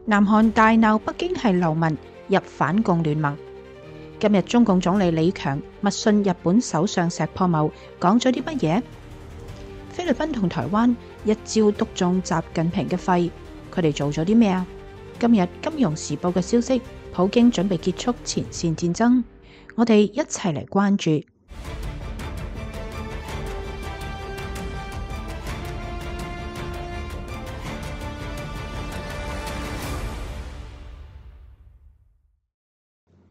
南韓大鬧北京係流民入反共聯盟。今日中共總理李強密信日本首相石破茂，講咗啲乜嘢？菲律賓同台灣一招篤中習近平嘅肺，佢哋做咗啲咩啊？今日《金融時報》嘅消息，普京準備結束前線戰爭，我哋一齊嚟關注。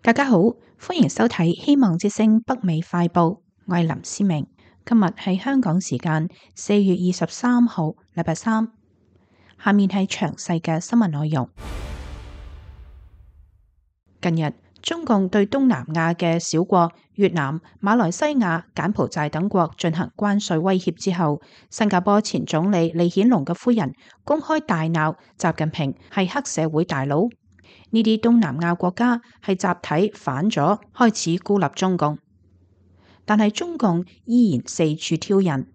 大家好，歡迎收睇希望之聲北美快報，我係林思明。今日係香港時間4月23號，禮拜三。下面係詳細嘅新聞內容。近日，中共對東南亞嘅小國越南、馬來西亞、柬埔寨等國進行關稅威脅之後，新加坡前總理李顯龍嘅夫人公開大鬧習近平係黑社會大佬。呢啲東南亞國家係集體反咗，開始孤立中共，但係中共依然四處挑釁，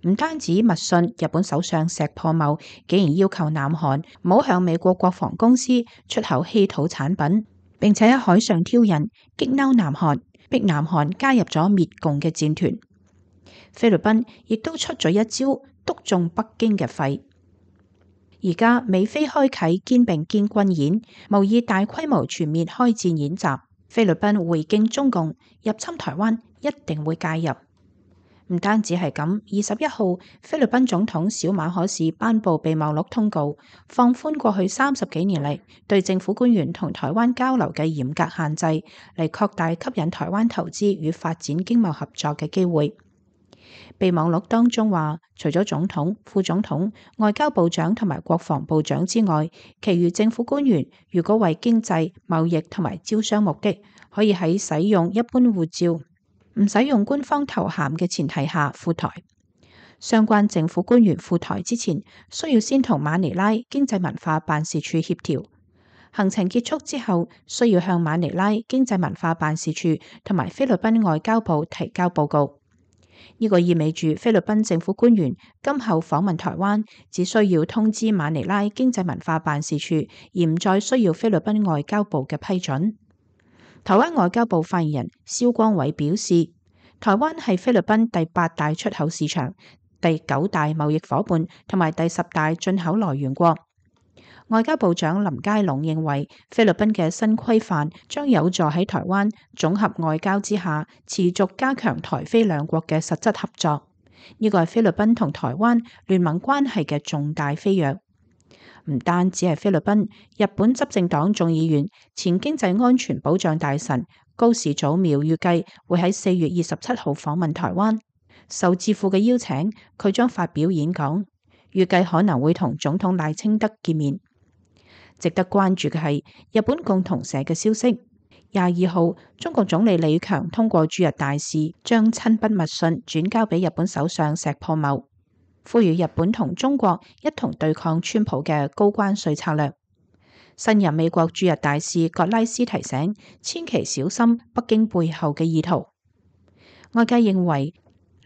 唔單止密信日本首相石破茂，竟然要求南韓唔好向美國國防公司出口稀土產品，並且喺海上挑釁，激嬲南韓，逼南韓加入咗滅共嘅戰團。菲律賓亦都出咗一招，篤中北京嘅肺。而家美菲開啟肩並肩軍演，模擬大規模全面開戰演習。菲律賓回敬中共入侵台灣，一定會介入。唔單止係咁，21號菲律賓總統小馬可仕頒布備忘錄通告，放寬過去30幾年嚟對政府官員同台灣交流嘅嚴格限制，嚟擴大吸引台灣投資與發展經貿合作嘅機會。備忘錄當中話，除咗總統、副總統、外交部長同埋國防部長之外，其餘政府官員如果為經濟、貿易同埋招商目的，可以喺使用一般護照、唔使用官方頭銜嘅前提下赴台。相關政府官員赴台之前，需要先同馬尼拉經濟文化辦事處協調。行程結束之後，需要向馬尼拉經濟文化辦事處同埋菲律賓外交部提交報告。呢個意味住菲律賓政府官員今後訪問台灣，只需要通知馬尼拉經濟文化辦事處，而唔再需要菲律賓外交部嘅批准。台灣外交部發言人蕭光偉表示，台灣係菲律賓第8大出口市場、第9大貿易夥伴同埋第10大進口來源國。外交部長林佳龍認為，菲律賓嘅新規範將有助喺台灣綜合外交之下，持續加強台菲兩國嘅實質合作。呢個係菲律賓同台灣聯盟關係嘅重大飛躍。唔單止係菲律賓，日本執政黨眾議員、前經濟安全保障大臣高市早苗預計會喺4月27號訪問台灣，受智庫嘅邀請，佢將發表演講，預計可能會同總統賴清德見面。值得關注嘅係日本共同社嘅消息，22號中國總理李強通過駐日大使將親筆密信轉交俾日本首相石破茂，呼籲日本同中國一同對抗川普嘅高關稅策略。新任美國駐日大使葛拉斯提醒，千祈小心北京背後嘅意圖。外界認為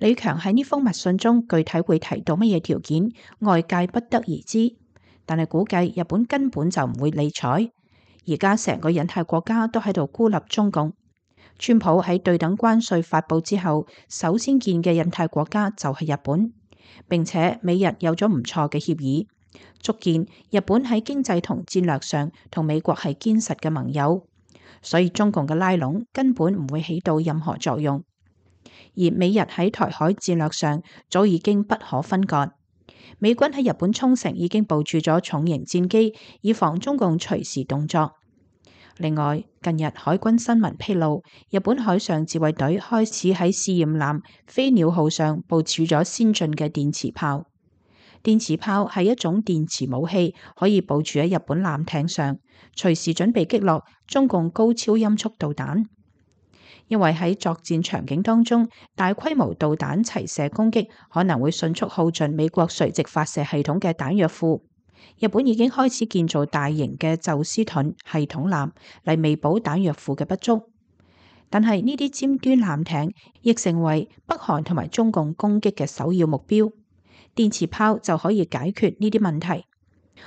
李強喺呢封密信中具體會提到乜嘢條件，外界不得而知。但係估計日本根本就唔會理睬，而家成個印太國家都喺度孤立中共。川普喺對等關稅發布之後，首先見嘅印太國家就係日本，並且美日有咗唔錯嘅協議，足見日本喺經濟同戰略上同美國係堅實嘅盟友，所以中共嘅拉攏根本唔會起到任何作用。而美日喺台海戰略上早已經不可分割。美軍喺日本沖繩已經部署咗重型戰機，以防中共隨時動作。另外，近日海軍新聞披露，日本海上自衛隊開始喺試驗艦飛鳥號上部署咗先進嘅電磁炮。電磁炮係一種電磁武器，可以部署喺日本艦艇上，隨時準備擊落中共高超音速導彈。因為喺作戰場景當中，大規模導彈齊射攻擊可能會迅速耗盡美國垂直發射系統嘅彈藥庫。日本已經開始建造大型嘅宙斯盾系統艦嚟彌補彈藥庫嘅不足。但係呢啲尖端艦艇亦成為北韓同埋中共攻擊嘅首要目標，電磁炮就可以解決呢啲問題。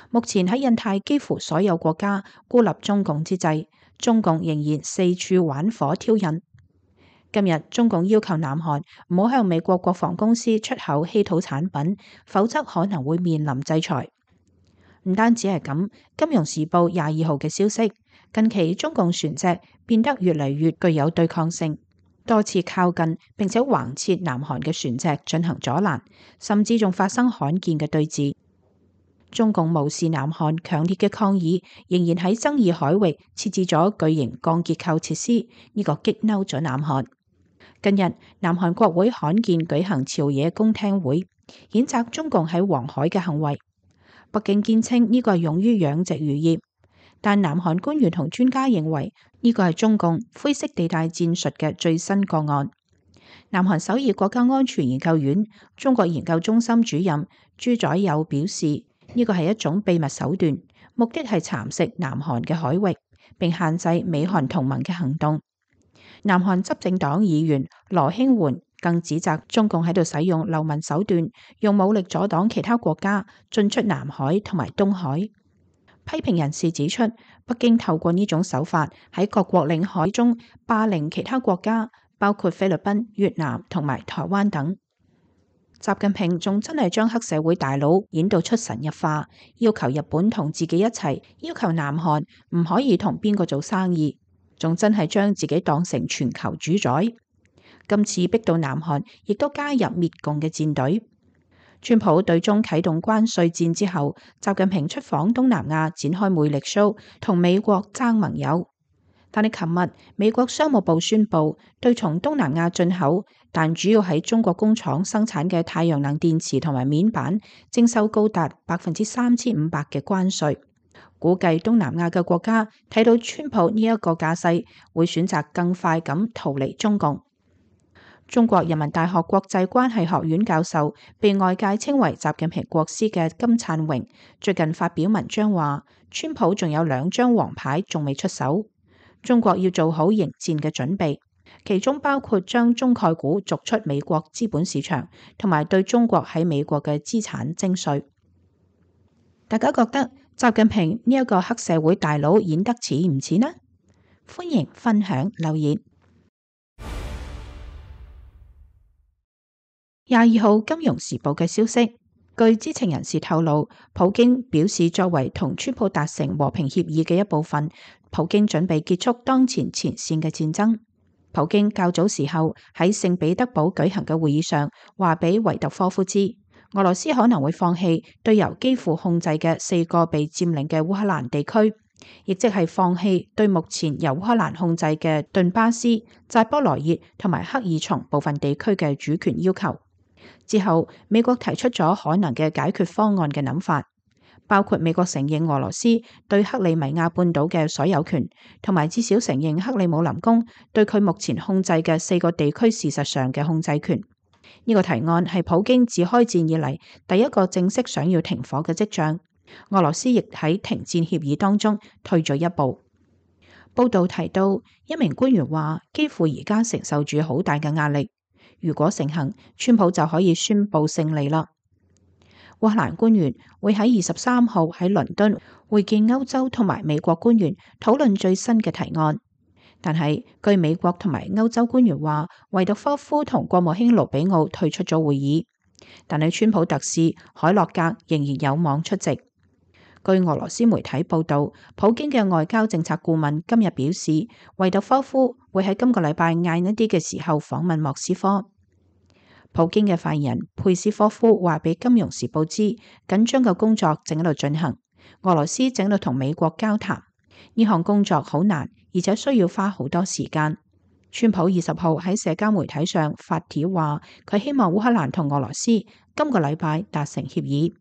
目前喺印太幾乎所有國家孤立中共之際，中共仍然四處玩火挑釁。今日中共要求南韓唔好向美國國防公司出口稀土產品，否則可能會面臨制裁。唔單止係咁，《金融時報》22號嘅消息，近期中共船隻變得越嚟越具有對抗性，多次靠近並且橫切南韓嘅船隻進行阻攔，甚至仲發生罕見嘅對峙。中共無視南韓強烈嘅抗議，仍然喺爭議海域設置咗巨型鋼結構設施，呢個激嬲咗南韓。近日，南韓國會罕見舉行朝野公聽會，譴責中共喺黃海嘅行為。北京堅稱呢個係用於養殖漁業，但南韓官員同專家認為呢個係中共灰色地帶戰術嘅最新個案。南韓首爾國家安全研究院中國研究中心主任朱宰友表示，呢個係一種秘密手段，目的係蠶食南韓嘅海域，並限制美韓同盟嘅行動。南韓執政黨議員羅興媛更指責中共喺度使用流氓手段，用武力阻擋其他國家進出南海同埋東海。批評人士指出，北京透過呢種手法喺各國領海中霸凌其他國家，包括菲律賓、越南同埋台灣等。習近平仲真係將黑社會大佬演到出神入化，要求日本同自己一齊，要求南韓唔可以同邊個做生意，仲真係將自己當成全球主宰。今次逼到南韓亦都加入滅共嘅戰隊。川普對中啟動關稅戰之後，習近平出訪東南亞展開魅力 show， 同美國爭盟友。但係琴日美國商務部宣布，對從東南亞進口但主要喺中國工廠生產嘅太陽能電池同埋面板徵收高達3500%嘅關稅。估計東南亞嘅國家睇到川普呢一個架勢，會選擇更快咁逃離中共。中國人民大學國際關係學院教授，被外界稱為習近平國師嘅金燦榮，最近發表文章話，川普仲有2張黃牌仲未出手，中國要做好迎戰嘅準備，其中包括將中概股逐出美國資本市場，同埋對中國喺美國嘅資產徵稅。大家覺得習近平呢一個黑社會大佬演得似唔似呢？歡迎分享留言。22號《金融時報》嘅消息，據知情人士透露，普京表示作為同川普達成和平協議嘅一部分，普京準備結束當前前線嘅戰爭。普京較早時候喺聖彼得堡舉行嘅會議上，話俾維特科夫知，俄羅斯可能會放棄對由基輔控制嘅4個被佔領嘅烏克蘭地區，亦即係放棄對目前由烏克蘭控制嘅頓巴斯、扎波羅熱同埋克爾松部分地區嘅主權要求。之後，美國提出咗可能嘅解決方案嘅諗法，包括美國承認俄羅斯對克里米亞半島嘅所有權，同埋至少承認克里姆林宮對佢目前控制嘅4個地區事實上嘅控制權。呢個提案係普京自開戰以嚟第一個正式想要停火嘅跡象。俄羅斯亦喺停戰協議當中退咗一步。報道提到，一名官員話，基輔而家承受住好大嘅壓力。如果成行，川普就可以宣布勝利啦。烏克蘭官員會喺23號喺倫敦會見歐洲同埋美國官員，討論最新嘅提案。但係據美國同埋歐洲官員話，維特科夫同國務卿盧比奧退出咗會議，但係川普特使海洛格仍然有望出席。據俄羅斯媒體報道，普京嘅外交政策顧問今日表示，維特科夫會喺今個禮拜晏一啲嘅時候訪問莫斯科。普京嘅發言人佩斯科夫話俾《金融時報》知，緊張嘅工作正喺度進行，俄羅斯正喺度同美國交談，呢項工作好難，而且需要花好多時間。川普20號喺社交媒體上發帖話，佢希望烏克蘭同俄羅斯今個禮拜達成協議。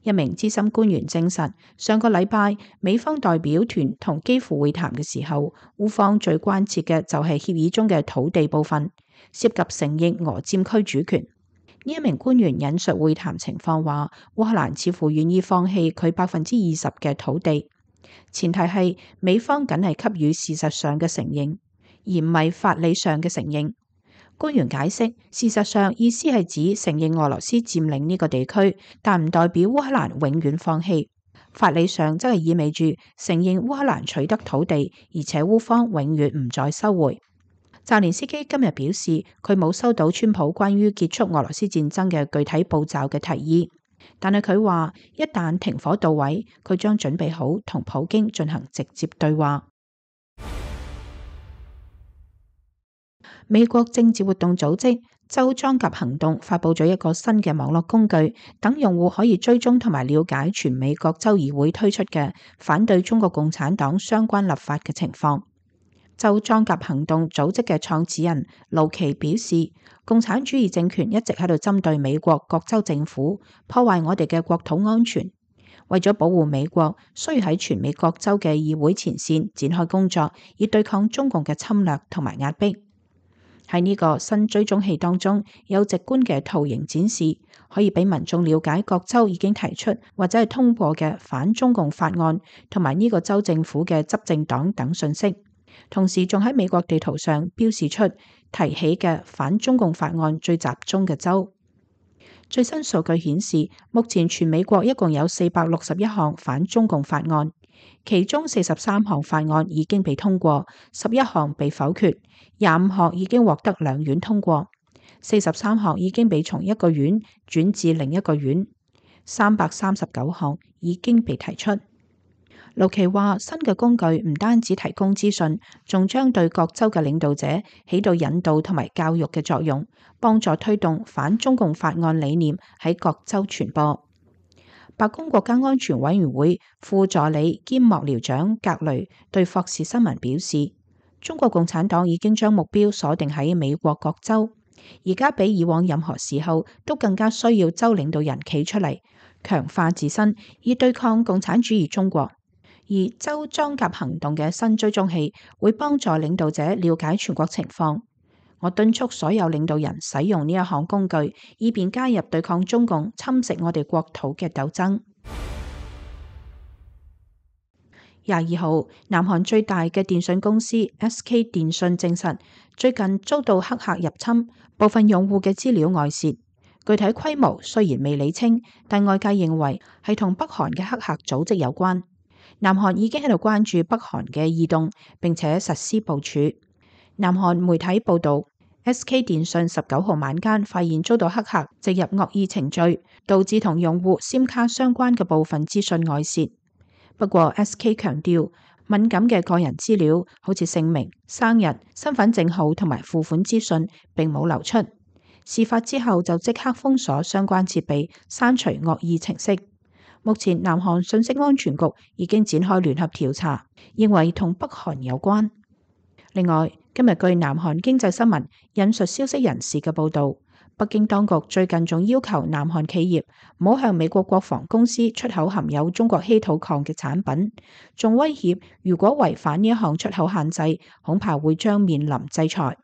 一名資深官員證實，上個禮拜美方代表團同基輔會談嘅時候，烏方最關切嘅就係協議中嘅土地部分，涉及承認俄佔區主權。呢一名官員引述會談情況話，烏克蘭似乎願意放棄佢20%嘅土地，前提係美方僅係給予事實上嘅承認，而唔係法理上嘅承認。官員解釋，事實上意思係指承認俄羅斯佔領呢個地區，但唔代表烏克蘭永遠放棄。法理上則係意味住承認烏克蘭取得土地，而且烏方永遠唔再收回。澤連斯基今日表示，佢冇收到川普關於結束俄羅斯戰爭嘅具體步驟嘅提議，但係佢話一旦停火到位，佢將準備好同普京進行直接對話。美國政治活動組織州裝甲行動發佈咗一個新嘅網絡工具，等用戶可以追蹤同埋了解全美各州議會推出嘅反對中國共產黨相關立法嘅情況。州裝甲行動組織嘅創始人盧奇表示，共產主義政權一直喺度針對美國各州政府，破壞我哋嘅國土安全。為咗保護美國，需要喺全美各州嘅議會前線展開工作，以對抗中共嘅侵略同埋壓迫。喺呢個新追蹤器當中，有直觀嘅圖形展示，可以俾民眾了解各州已經提出或者係通過嘅反中共法案，同埋呢個州政府嘅執政黨等信息。同時仲喺美國地圖上標示出提起嘅反中共法案最集中嘅州。最新數據顯示，目前全美國一共有461項反中共法案，其中43項法案已經被通過，11項被否決，25項已經獲得兩院通過，43項已經被從一個院轉至另一個院，339項已經被提出。盧奇話，新嘅工具唔單止提供資訊，仲將對各州嘅領導者起到引導同埋教育嘅作用，幫助推動反中共法案理念喺各州傳播。白宮國家安全委員會副助理兼幕僚長格雷對霍士新聞表示，中國共產黨已經將目標鎖定喺美國各州，而家比以往任何時候都更加需要州領導人企出嚟，強化自身，以對抗共產主義中國。而州裝甲行動嘅新追蹤器會幫助領導者了解全國情況。我敦促所有領導人使用呢一項工具，以便加入對抗中共侵蝕我哋國土嘅鬥爭。22號，南韓最大嘅電信公司 SK 電信證實，最近遭到黑客入侵，部分用戶嘅資料外泄。具體規模雖然未理清，但外界認為係同北韓嘅黑客組織有關。南韓已經喺度關注北韓嘅異動，並且實施部署。南韓媒體報道，SK 電信19號晚間發現遭到黑客植入惡意程序，導致同用戶 SIM 卡相關嘅部分資訊外泄。不過 SK 強調，敏感嘅個人資料，好似姓名、生日、身份證號同埋付款資訊，並冇流出。事發之後就即刻封鎖相關設備，刪除惡意程式。目前南韓信息安全局已經展開聯合調查，認為同北韓有關。另外，今日據南韓經濟新聞引述消息人士嘅報導，北京當局最近仲要求南韓企業唔好向美國國防公司出口含有中國稀土礦嘅產品，仲威脅如果違反呢一項出口限制，恐怕會將面臨制裁。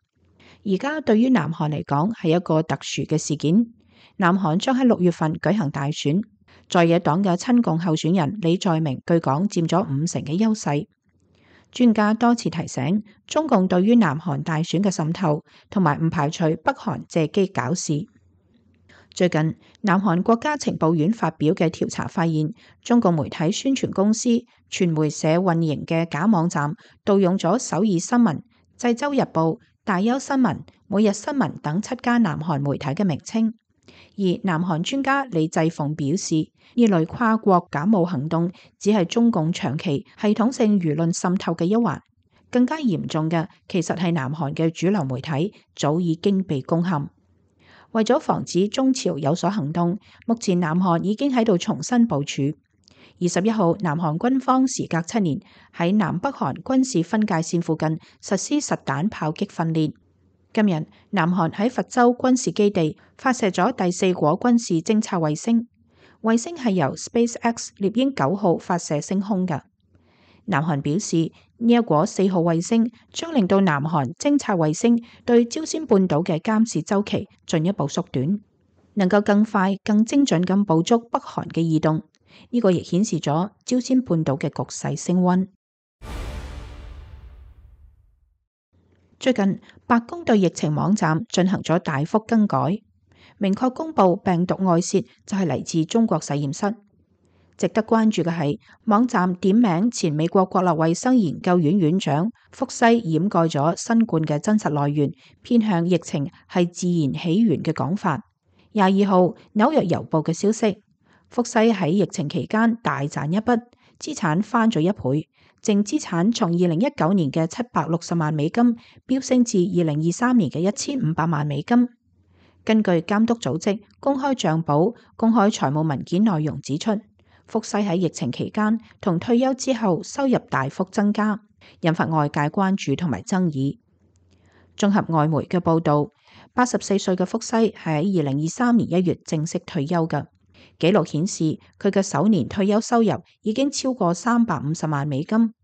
而家對於南韓嚟講係一個特殊嘅事件，南韓將喺6月份舉行大選。在野黨嘅親共候選人李在明據講佔咗50%嘅優勢。專家多次提醒，中共對於南韓大選嘅滲透，同埋唔排除北韓借機搞事。最近，南韓國家情報院發表嘅調查發現，中共媒體宣傳公司傳媒社運營嘅假網站盜用咗首爾新聞、濟州日報、大邱新聞、每日新聞等7家南韓媒體嘅名稱。而南韓專家李濟鳳表示，呢類跨國假冒行動只係中共長期系統性輿論滲透嘅一環，更加嚴重嘅其實係南韓嘅主流媒體早已經被攻陷。為咗防止中朝有所行動，目前南韓已經喺度重新部署。21號，南韓軍方時隔7年喺南北韓軍事分界線附近實施實彈炮擊訓練。今日，南韓喺佛州軍事基地發射咗第4顆軍事偵察衛星，衛星係由 SpaceX 獵鷹9號發射升空嘅。南韓表示，呢一顆4號衛星將令到南韓偵察衛星對朝鮮半島嘅監視週期進一步縮短，能夠更快、更精準咁捕捉北韓嘅異動。呢個亦顯示咗朝鮮半島嘅局勢升溫。最近，白宮對疫情網站進行咗大幅更改，明確公布病毒外泄就係嚟自中國實驗室。值得關注嘅係，網站點名前美國國立衛生研究院院長福西掩蓋咗新冠嘅真實來源，偏向疫情係自然起源嘅講法。22號紐約郵報嘅消息，福西喺疫情期間大賺一筆，資產翻咗1倍，淨資產從2019年嘅760萬美金飆升至2023年嘅1500萬美金。根據監督組織公開賬簿公開財務文件內容指出，福西喺疫情期間同退休之後收入大幅增加，引發外界關注同埋爭議。綜合外媒嘅報導，84歲嘅福西係喺2023年1月正式退休嘅。記錄顯示，佢嘅首年退休收入已經超過350萬美金。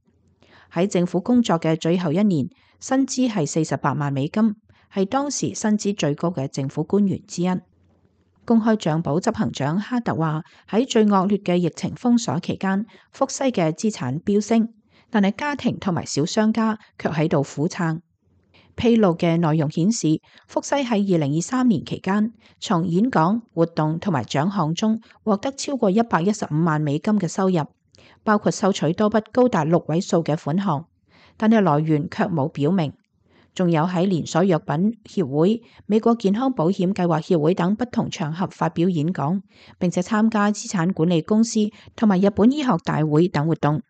喺政府工作嘅最後一年，薪資係48萬美金，係當時薪資最高嘅政府官員之一。公開賬簿執行長哈特話：喺最惡劣嘅疫情封鎖期間，福西嘅資產飆升，但係家庭同埋小商家卻喺度苦撐。披露嘅內容顯示，福西喺2023年期間，從演講、活動同埋獎項中獲得超過115萬美金嘅收入，包括收取多筆高達6位數嘅款項，但係來源卻冇表明。仲有喺連鎖藥品協會、美國健康保險計劃協會等不同場合發表演講，並且參加資產管理公司同埋日本醫學大會等活動。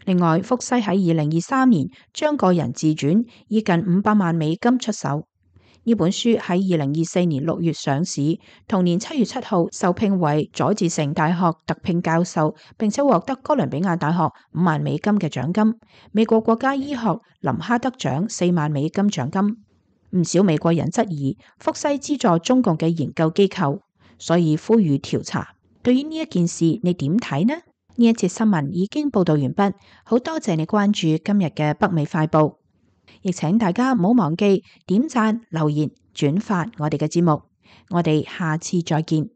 另外，福西喺2023年將個人自傳以近500萬美金出售。呢本書喺2024年6月上市，同年7月7號受聘為佐治城大學特聘教授，並且獲得哥倫比亞大學5萬美金嘅獎金，美國國家醫學林哈德獎4萬美金獎金。唔少美國人質疑福西資助中共嘅研究機構，所以呼籲調查。對於呢一件事，你點睇呢？呢一節新聞已經報道完畢，好多謝你關注今日嘅北美快報，亦請大家唔好忘記點讚、留言、轉發我哋嘅節目，我哋下次再見。